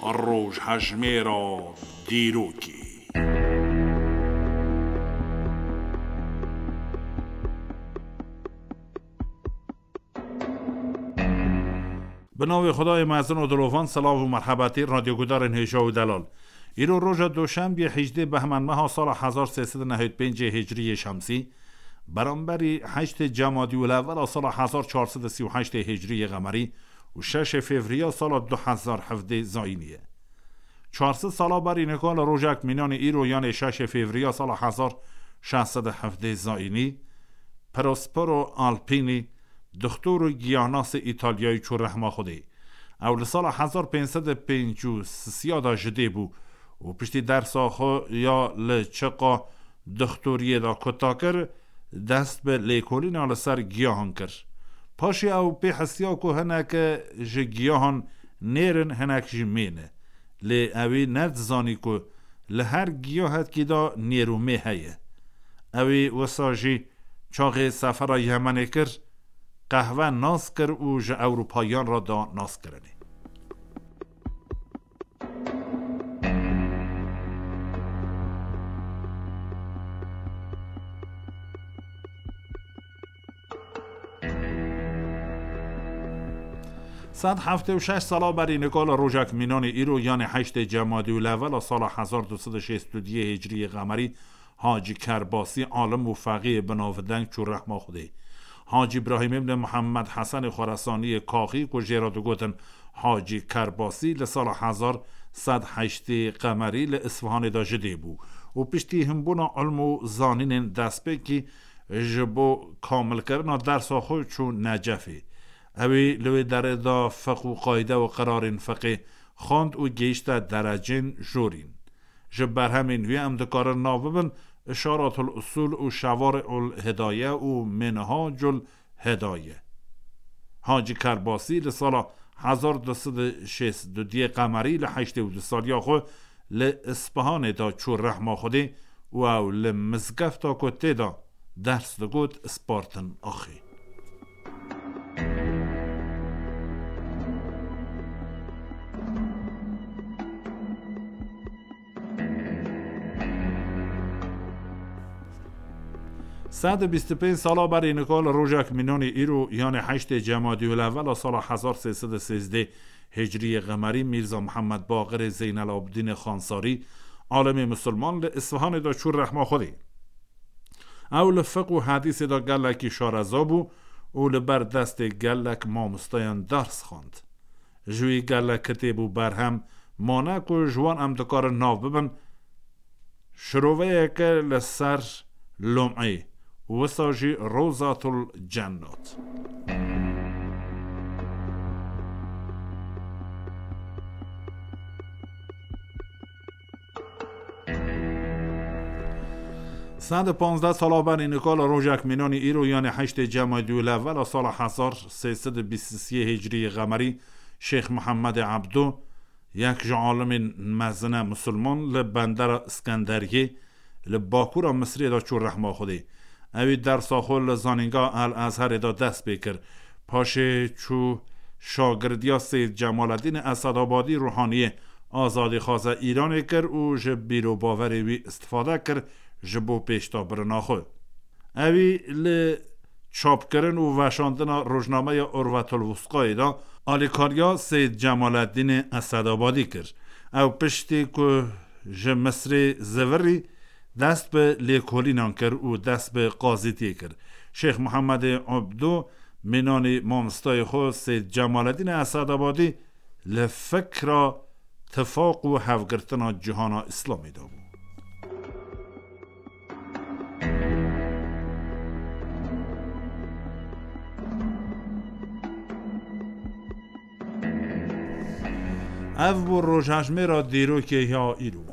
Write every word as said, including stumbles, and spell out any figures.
Rojhejmêra dîrokê. Bi navê Xwedayê mezin û dilovan, silav û merhebetî radyogudarên hêja û delal. Îro roja doşembiyê, hejdê behmên meha sala hezar sê sed û nehêd pêncê hicriyê şemsî, beramberî heştê cemadî û lewela sala hezar çar sed û sî û heştê hicriyê qemerî û şeşê fevriya sala du hezar hevdê zayînî ye. Çar sed sala berî nika li rojek mînanê îro, yanê şeşê fevriya sala hezar şeş sed û hevdê zayînî, Prospero Alpini, dixtor û giyahnasê Îtalyayî çû rehma Xwedê. Ew li sala hezar pênc sed û pêncî û sisiya de ji dê bû û piştî dersa xwe ya li çiqa dixtoriyê de kuta kir, dest bi lêkolîna li ser giyahan kir. Paşê ew pê hisiya ku hinek ji giyahan nêr in, hinek jî mê ne. Lê ewî nedizanî ku li her giyahetkî de nêr û mê heye. Ewî wisa jî çaxê sefera Yemenê kir, qehwe nas kir û ji Ewropayiyan re da naskirinê. Sed heftê û şeş sala berî nika li rojek mînanê îro, yanê heştê cemadî û lewela sala hezar du sed û şêst û duyê hicriyê qemerî, Hacî Kerbasî, alim û feqîyê binavdeng çû rehma Xwedê. Hacî Îbrahîm îbnê Mihemed Hesenê Xoresaniyê Kaxî, ku jê re digotin Hacî Kerbasî, li sala hezar sed heştê qemerî li Isfihanê de ji dê bû û piştî hinbûna ilm û zanînên destpêkî ji bo kamilkirina dersa xwe çû Necefê. Ewî li wê derê de fiqh û qayde û qirarên fiqê xwend û gihişte derecên jorîn. Ji berhemên wî em dikarin nav bibin Işaratul Usul û Şevarîul Hidaye û Minhacul Hidaye. Hacî Kerbasî li sala hezar du sed û şêst û duyê qemerî li heştê û du saliya xwe li Ispahanê de çû rehma Xwedê û ew li mizgefta ku tê de ders digot, spartin axê. Sed û bîst û pênc sala berî nika li rojek mînanê îro, yanê heştê cemadî û lewela sala hezar sê sed û sêzdeh hicriyê qemerî, Mîrza Mihemed Baqirê Zeynel Abidînê Xansarî, alimê misilman, li Isfihanê de çû rehma Xwedê. Ew li fiqh û hedîsê de gelekî şareza bû û li ber destê gelek mamosteyan ders xwend. Ji wî gelek kitêb û berhem mane ku ji wan em dikarin nav bibin, şiroveyeke li ser Lum'ê, wisa jî Rozatul Cennat. Sed û panzdeh sala berî nika li rojek mînanî îro, yanê heştê cemadî û lewela sala hezar sê sed û bîst û sê hicriyê qemerî, Şêx Mihemedê Ebdo, yek ji alimên mezine misilman, li bendera Iskenderiyê li bakûra Misirê de çû rehma Xwedê. Ewî dersa xwe li zanîngeha El Ezherê de dest pê kir. Paşê çû şagirdiya Seyyid Cemaledînê Esedabadî, ruhaniyê azadîxwaza Îranê, kir û ji bîr û bawerê wî istifade kir ji bo pêşdabirina xwe. Ewî li çapkirin û veşandina rojnameya Urvetul Wusqayê de alîkariya Seyyid Cemaledînê Esedabadî kir. Ew piştî ku ji Misirê zivirî, dest bi lêkolînan kir û dest bi qazîtiyê kir. Şêx Mihemedê Ebdo, mînanî mamostayê xwe Seyyid Cemaledînê Esedabadî, li fikra tifaq û hevgirtina cîhana Îslamê de bû. Ev bû rojhejmêra dîrokê ya îro.